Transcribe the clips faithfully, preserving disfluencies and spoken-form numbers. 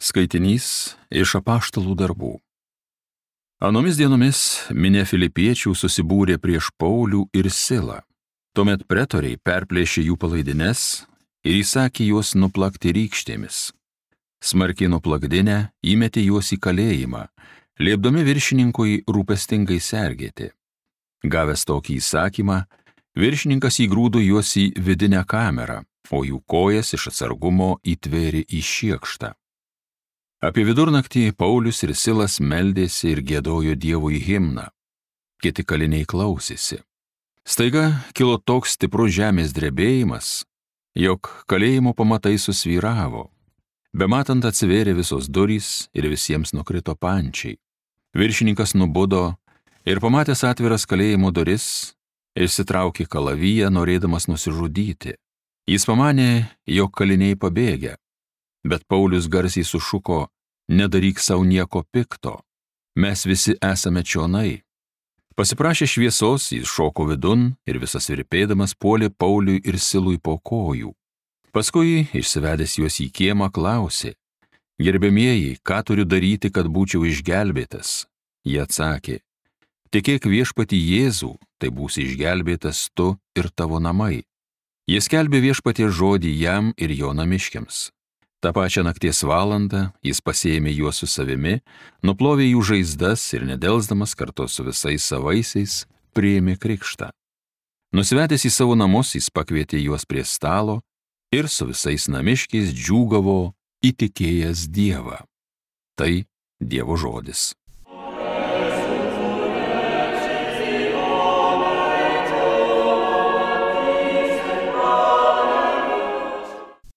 Skaitinys iš apaštalų darbų. Anomis dienomis minia filipiečių susibūrė prieš Paulių ir Silą. Tuomet pretoriai perplėšė jų palaidines ir įsakė juos nuplakti rykštėmis. Smarkiai nuplakdinę įmetė juos į kalėjimą, liepdami viršininkui rūpestingai sergėti. Gavęs tokį įsakymą, viršininkas įgrūdo juos į vidinę kamerą, o jų kojas iš atsargumo įtvėrė į šiekštą. Apie vidurnaktį Paulius ir Silas meldėsi ir giedojo Dievui himną. Kiti kaliniai klausėsi. Staiga kilo toks stiprus žemės drebėjimas, jog kalėjimo pamatai susvyravo. Bematant atsivėrė visos durys ir visiems nukrito pančiai. Viršininkas nubudo ir pamatęs atviras kalėjimo duris, išsitraukė kalaviją, norėdamas nusižudyti. Jis pamanė, jog kaliniai pabėgę, bet Paulius garsiai sušuko: nedaryk savo nieko pikto, mes visi esame čionai. Pasiprašė šviesos, jis šoko vidun ir visas virpėdamas puolė Pauliui ir Silui po kojų. Paskui, išsivedęs juos į kiemą, klausė: gerbiamieji, ką turiu daryti, kad būčiau išgelbėtas? Jie atsakė: tikėk viešpatį Jėzų, tai būsi išgelbėtas tu ir tavo namai. Jis skelbė viešpaties žodį jam ir jo namiškiams. Ta pačią nakties valandą jis pasiėmė juos su savimi, nuplovė jų žaizdas ir nedelsdamas kartu su visais savaisiais priėmė krikštą. Nusivedęs į savo namus, jis pakvietė juos prie stalo ir su visais namiškiais džiūgavo įtikėjęs Dievą. Tai Dievo žodis.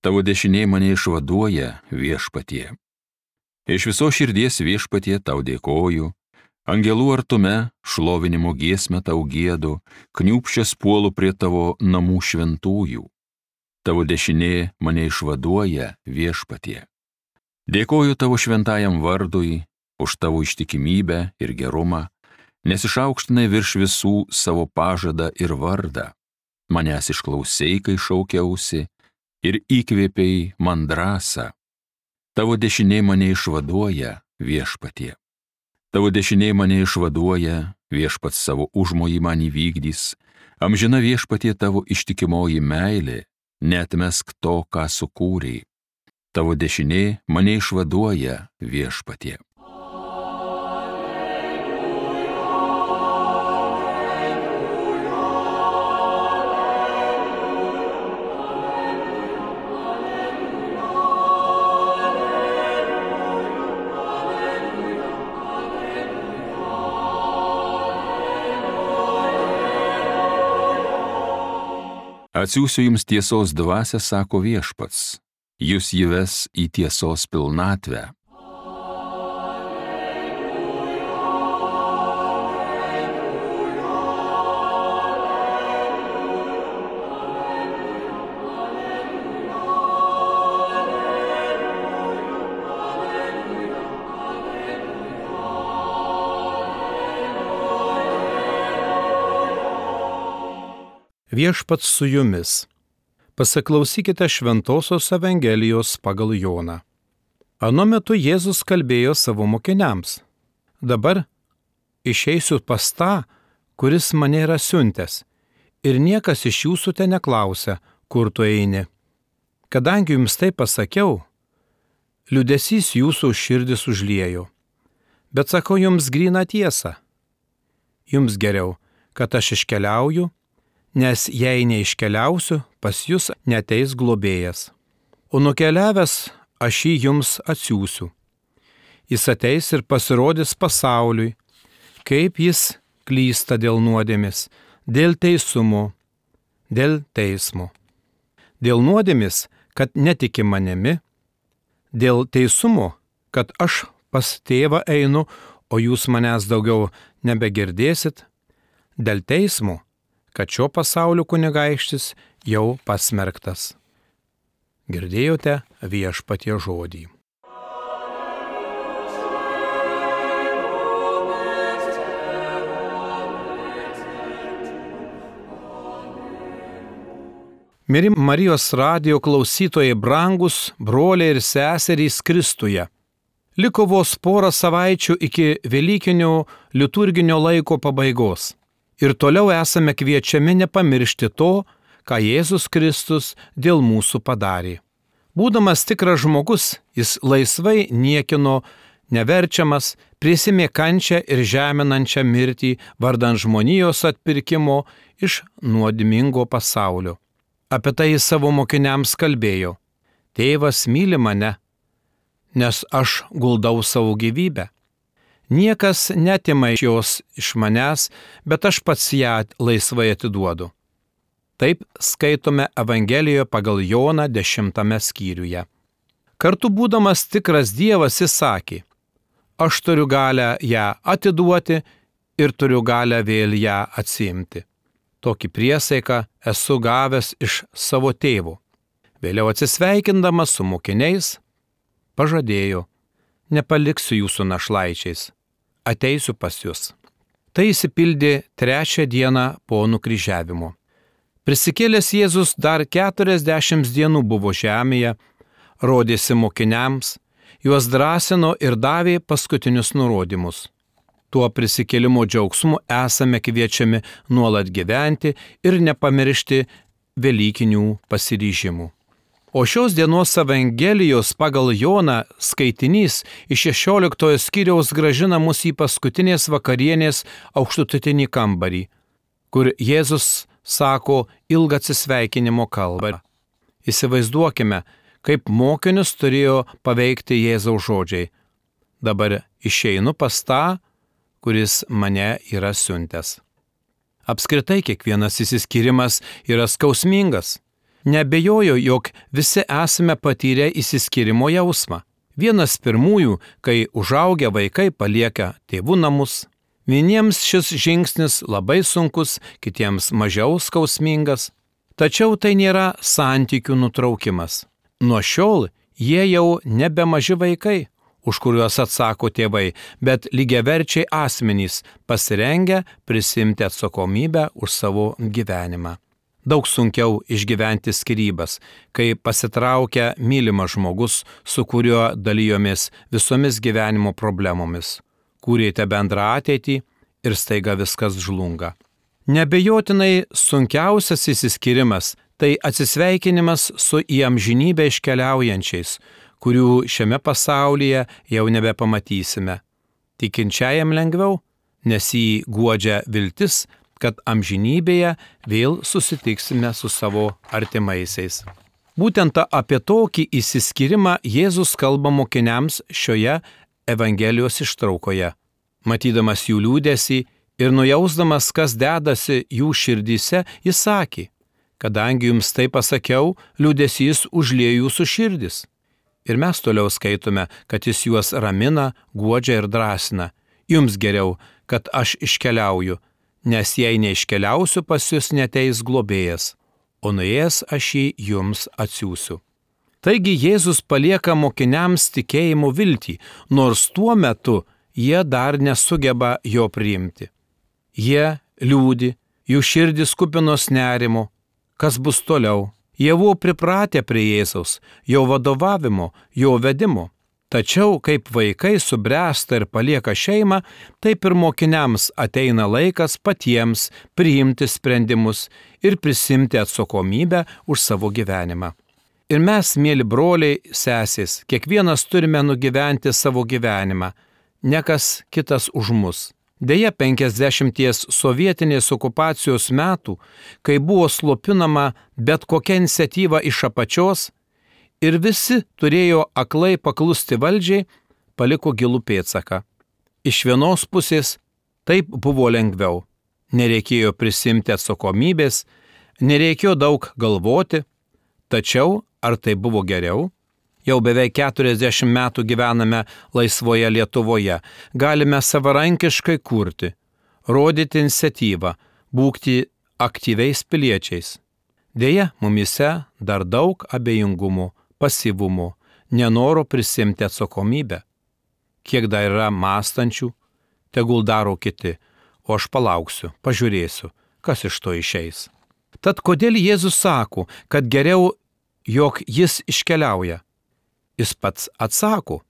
Tavo dešinė mane išvaduoja, viešpatie. Iš viso širdies, viešpatie, tau dėkoju, angelų artume šlovinimo giesmę tau giedu, kniūpsčias puolu prie tavo namų šventųjų. Tavo dešinė mane išvaduoja, viešpatie. Dėkoju tavo šventajam vardui už tavo ištikimybę ir gerumą, nes išaukštinai virš visų savo pažadą ir vardą. Manęs išklausei, kai šaukiausi, ir įkvėpei man drąsą. Tavo dešinė mane išvaduoja, viešpatie. Tavo dešinė mane išvaduoja, viešpats savo užmojį man įvykdys, amžina viešpatie tavo ištikimoji meilė, neatmesk to, ką sukūrei. Tavo dešinė mane išvaduoja, viešpatie. Atsiųsiu jums tiesos dvasią, sako viešpats, jūs jį ves į tiesos pilnatvę. Viešpats su jumis. Pasiklausykite Šventosios Evangelijos pagal Joną. Anu metu Jėzus kalbėjo savo mokiniams: dabar išeisiu pas tą, kuris mane yra siuntęs, ir niekas iš jūsų te neklausia, kur tu eini. Kadangi jums tai pasakiau, liūdesys jūsų širdis užliejo. Bet sakau jums gryną tiesą. Jums geriau, kad aš iškeliauju, nes jei neiškeliausiu, pas jūs neateis globėjas. O nukeliavęs aš jį jums atsiųsiu. Jis ateis ir pasirodys pasauliui, kaip jis klysta dėl nuodėmės, dėl teisumo, dėl teismo. Dėl nuodėmės, kad netiki manimi, dėl teisumo, kad aš pas tėvą einu, o jūs manęs daugiau nebegirdėsit, dėl teismo, kad šio pasaulio kunigaikštis jau pasmerktas. Girdėjote viešpatie žodį. Mieli Marijos radijo klausytojai, brangus broliai ir seserys Kristuje, Liko vos porą savaičių iki Velykinio liturginio laiko pabaigos. Ir toliau esame kviečiami nepamiršti to, ką Jėzus Kristus dėl mūsų padarė. Būdamas tikras žmogus, jis laisvai niekino neverčiamas, prisimė kančią ir žeminančią mirtį vardan žmonijos atpirkimo iš nuodėmingo pasaulio. Apie tai jis savo mokiniams kalbėjo: Tėvas myli mane, nes aš guldau savo gyvybę. Niekas netima iš jos iš manęs, bet aš pats ją laisvai atiduodu. Taip skaitome Evangelijoje pagal Joną dešimtame skyriuje. Kartu būdamas tikras Dievas jis sakė: Aš turiu galę ją atiduoti ir turiu galę vėl ją atsiimti. Tokį priesaiką esu gavęs iš savo tėvo. Vėliau atsisveikindamas su mokiniais, pažadėjo: Nepaliksiu jūsų našlaičiais, ateisiu pas jūs. Tai įsipildė trečią dieną po nukryžiavimo. Prisikėlęs Jėzus dar keturiasdešimt dienų buvo žemėje, rodėsi mokiniams, juos drąsino ir davė paskutinius nurodymus. Tuo prisikėlimo džiaugsmu esame kviečiami nuolat gyventi ir nepamiršti velykinių pasiryžimų. O šios dienos Evangelijos pagal Joną skaitinys iš šešioliktojo skyriaus grąžina mus į paskutinės vakarienės aukštutinį kambarį, kur Jėzus sako ilgą atsisveikinimo kalbą. Įsivaizduokime, kaip mokinius turėjo paveikti Jėzaus žodžiai: Dabar išeinu pas tą, kuris mane yra siuntęs. Apskritai kiekvienas išsiskyrimas yra skausmingas. Neabejoju, jog visi esame patyrę išsiskyrimo jausmą. Vienas pirmųjų, kai užaugę vaikai palieka tėvų namus. Vieniems šis žingsnis labai sunkus, kitiems mažiau skausmingas. Tačiau tai nėra santykių nutraukimas. Nuo šiol jie jau nebe maži vaikai, už kuriuos atsako tėvai, bet lygiaverčiai asmenys, pasirengę prisimti atsakomybę už savo gyvenimą. Daug sunkiau išgyventi skyrybas, kai pasitraukia mylimas žmogus, su kuriuo dalijomės visomis gyvenimo problemomis. Kūrėte bendrą ateitį ir staiga viskas žlunga. Nebejotinai sunkiausias išsiskyrimas – tai atsisveikinimas su į amžinybę iškeliaujančiais, kurių šiame pasaulyje jau nebepamatysime. Tikinčiajam lengviau, nes jį guodžia viltis, kad amžinybėje vėl susitiksime su savo artimaisiais. Būtent apie tokį išsiskyrimą Jėzus kalba mokiniams šioje Evangelijos ištraukoje. Matydamas jų liūdesį ir nujausdamas, kas dedasi jų širdyse, jis sakė: Kadangi jums tai pasakiau, liūdesys užliejo jūsų širdis. Ir mes toliau skaitome, kad jis juos ramina, guodžia ir drąsina. Jums geriau, kad aš iškeliauju, nes jei neiškeliausiu, pas jūs neteis globėjas, o nuėjęs aš jį jums atsiųsiu. Taigi Jėzus palieka mokiniams tikėjimo viltį, nors tuo metu jie dar nesugeba jo priimti. Jie liūdi, jų širdis kupinos nerimo. Kas bus toliau? Jie buvo pripratę prie Jėzaus, jo vadovavimo, jo vedimo. Tačiau, kaip vaikai subręsta ir palieka šeimą, taip ir mokiniams ateina laikas patiems priimti sprendimus ir prisimti atsakomybę už savo gyvenimą. Ir mes, mėly broliai, sesės, kiekvienas turime nugyventi savo gyvenimą, ne kas kitas už mus. Deja, penkiasdešimties sovietinės okupacijos metų, kai buvo slopinama bet kokia iniciatyva iš apačios ir visi turėjo aklai paklusti valdžiai, paliko gilų pėdsaką. Iš vienos pusės taip buvo lengviau. Nereikėjo prisimti atsakomybės, nereikėjo daug galvoti, tačiau ar tai buvo geriau? Jau beveik keturiasdešimt metų gyvename laisvoje Lietuvoje, galime savarankiškai kurti, rodyti iniciatyvą, būti aktyviais piliečiais. Deja, mumise dar daug abejingumo, pasyvumo, nenoro prisimti atsakomybę. Kiek dar yra mąstančių, tegul daro kiti, o aš palauksiu, pažiūrėsiu, kas iš to išeis. Tad kodėl Jėzus sako, kad geriau, jog jis iškeliauja? Jis pats atsako: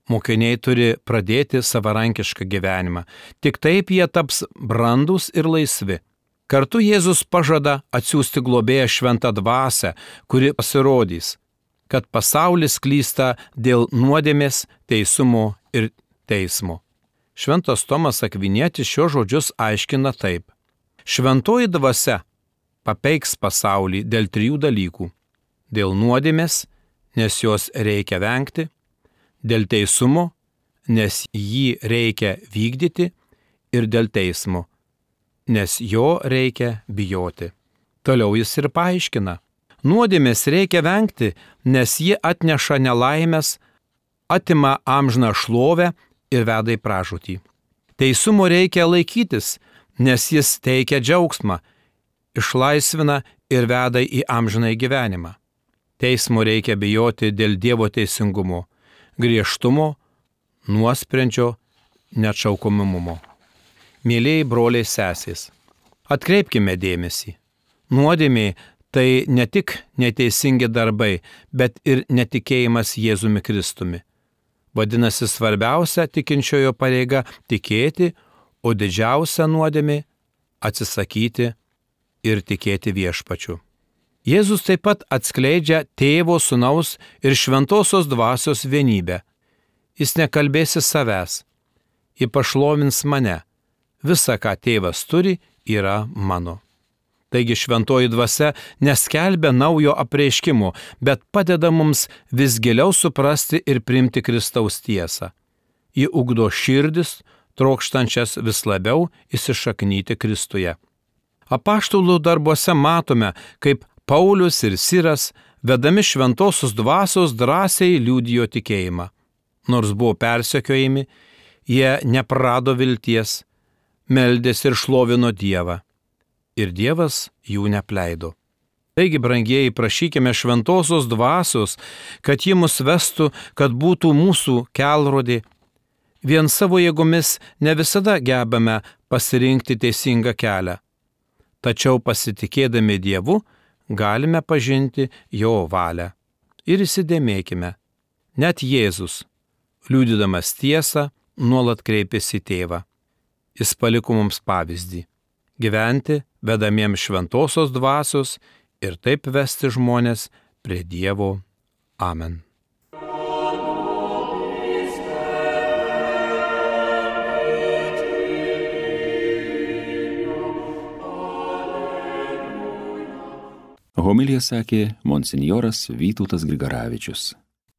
Mokiniai turi pradėti savarankišką gyvenimą. Tik taip jie taps brandūs ir laisvi. Kartu Jėzus pažada atsiųsti globėją šventą dvasią, kuri pasirodys, kad pasaulis klysta dėl nuodėmės, teisumo ir teismo. Šventas Tomas Akvinietis šios žodžius aiškina taip. Šventoji dvasia papeiks pasaulį dėl trijų dalykų. Dėl nuodėmės, nes jos reikia vengti, dėl teisumo, nes jį reikia vykdyti, ir dėl teismo, nes jo reikia bijoti. Toliau jis ir paaiškina. Nuodėmės reikia vengti, nes ji atneša nelaimės, atima amžiną šlovę ir veda į pražūtį. Teisumo reikia laikytis, nes jis teikia džiaugsmą, išlaisvina ir veda į amžiną gyvenimą. Teismo reikia bijoti dėl Dievo teisingumo, griežtumo, nuosprendžio, neatšaukomumo. Mėlėjai broliai sesės, atkreipkime dėmesį. Nuodėmė tai ne tik neteisingi darbai, bet ir netikėjimas Jėzumi Kristumi. Vadinasi, svarbiausia tikinčiojo pareiga tikėti, o didžiausia nuodėmė atsisakyti ir tikėti Viešpačiu. Jėzus taip pat atskleidžia Tėvo, Sūnaus ir Šventosios Dvasios vienybę. Jis nekalbėsi savęs, ji pašlovins mane. Visa, ką Tėvas turi, yra mano. Taigi Šventoji Dvasia neskelbia naujo apreiškimo, bet padeda mums vis giliau suprasti ir priimti Kristaus tiesą. Ji ugdo širdis, trokštančias vis labiau įsišaknyti Kristuje. Apaštalų darbuose matome, kaip Paulius ir Siras, vedami Šventosios Dvasios, drąsiai liudijo tikėjimą. Nors buvo persekiojami, jie neprarado vilties, meldėsi ir šlovino Dievą. Ir Dievas jų neapleido. Taigi, brangieji, prašykime Šventosios Dvasios, kad ji mus vestų, kad būtų mūsų kelrodė. Vien savo jėgomis ne visada gebame pasirinkti teisingą kelią. Tačiau pasitikėdami Dievu, galime pažinti jo valią. Ir įsidėmėkime, net Jėzus, liudydamas tiesą, nuolat kreipėsi į Tėvą. Jis paliko mums pavyzdį – gyventi vedamiems Šventosios Dvasios ir taip vesti žmones prie Dievo. Amen. Homiliją sakė monsinjoras Vytautas Grigaravičius.